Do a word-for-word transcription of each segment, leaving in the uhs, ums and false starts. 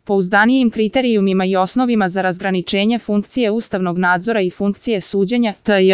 pouzdanijim kriterijumima i osnovima za razgraničenje funkcije ustavnog nadzora i funkcije suđenja, tj.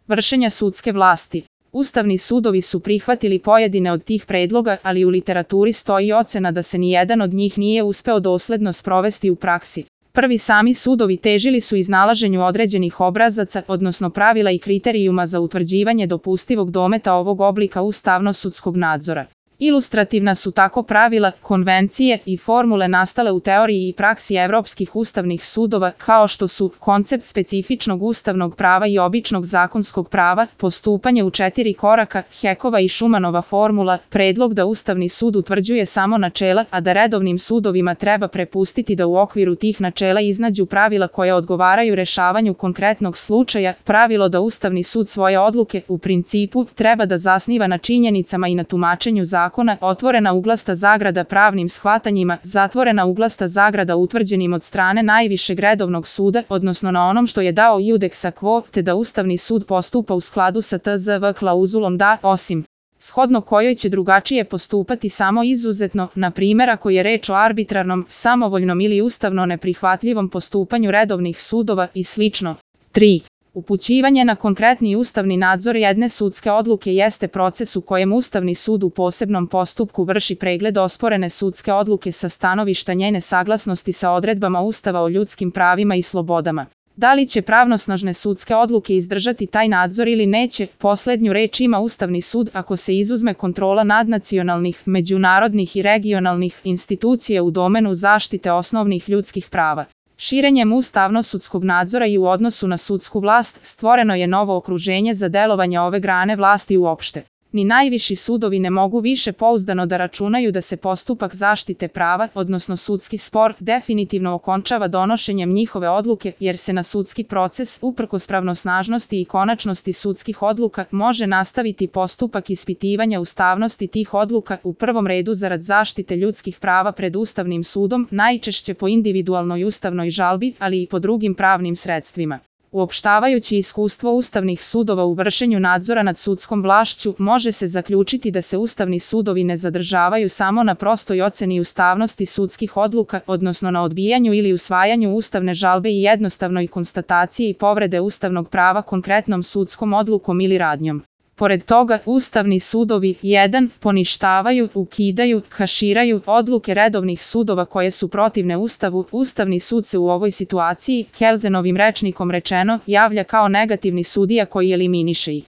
vršenja sudske vlasti. Ustavni sudovi su prihvatili pojedine od tih predloga, ali u literaturi stoji ocena da se nijedan od njih nije uspeo dosledno sprovesti u praksi. Prvi sami sudovi težili su iznalaženju određenih obrazaca, odnosno pravila i kriterijuma za utvrđivanje dopustivog dometa ovog oblika ustavno-sudskog nadzora. Ilustrativna su tako pravila, konvencije i formule nastale u teoriji i praksi evropskih ustavnih sudova, kao što su koncept specifičnog ustavnog prava i običnog zakonskog prava, postupanje u četiri koraka, Hekova i Šumanova formula, predlog da Ustavni sud utvrđuje samo načela, a da redovnim sudovima treba prepustiti da u okviru tih načela iznađu pravila koja odgovaraju rešavanju konkretnog slučaja, pravilo da Ustavni sud svoje odluke, u principu, treba da zasniva na činjenicama i na tumačenju zakona, zakona, otvorena uglasta zagrada pravnim shvatanjima, zatvorena uglasta zagrada utvrđenim od strane najvišeg redovnog suda, odnosno na onom što je dao iudex a quo, te da Ustavni sud postupa u skladu sa T Z V klauzulom da, osim shodno kojoj će drugačije postupati samo izuzetno, na primjer ako je reč o arbitrarnom, samovoljnom ili ustavno neprihvatljivom postupanju redovnih sudova i slično. tri. Upućivanje na konkretni ustavni nadzor jedne sudske odluke jeste proces u kojem Ustavni sud u posebnom postupku vrši pregled osporene sudske odluke sa stanovišta njene saglasnosti sa odredbama Ustava o ljudskim pravima i slobodama. Da li će pravnosnažne sudske odluke izdržati taj nadzor ili neće, poslednju reč ima Ustavni sud ako se izuzme kontrola nadnacionalnih, međunarodnih i regionalnih institucija u domenu zaštite osnovnih ljudskih prava. Širenjem ustavno-sudskog nadzora i u odnosu na sudsku vlast stvoreno je novo okruženje za delovanje ove grane vlasti uopšte. Ni najviši sudovi ne mogu više pouzdano da računaju da se postupak zaštite prava, odnosno sudski spor, definitivno okončava donošenjem njihove odluke, jer se na sudski proces, uprkos pravnosnažnosti i konačnosti sudskih odluka, može nastaviti postupak ispitivanja ustavnosti tih odluka, u prvom redu zarad zaštite ljudskih prava pred Ustavnim sudom, najčešće po individualnoj ustavnoj žalbi, ali i po drugim pravnim sredstvima. Uopštavajući iskustvo ustavnih sudova u vršenju nadzora nad sudskom vlašću, može se zaključiti da se ustavni sudovi ne zadržavaju samo na prostoj oceni ustavnosti sudskih odluka, odnosno na odbijanju ili usvajanju ustavne žalbe i jednostavnoj konstataciji povrede ustavnog prava konkretnom sudskom odlukom ili radnjom. Pored toga, ustavni sudovi jedan poništavaju, ukidaju, kaširaju odluke redovnih sudova koje su protivne Ustavu. Ustavni sud se u ovoj situaciji, Kelzenovim rečnikom rečeno, javlja kao negativni sudija koji eliminiše ih.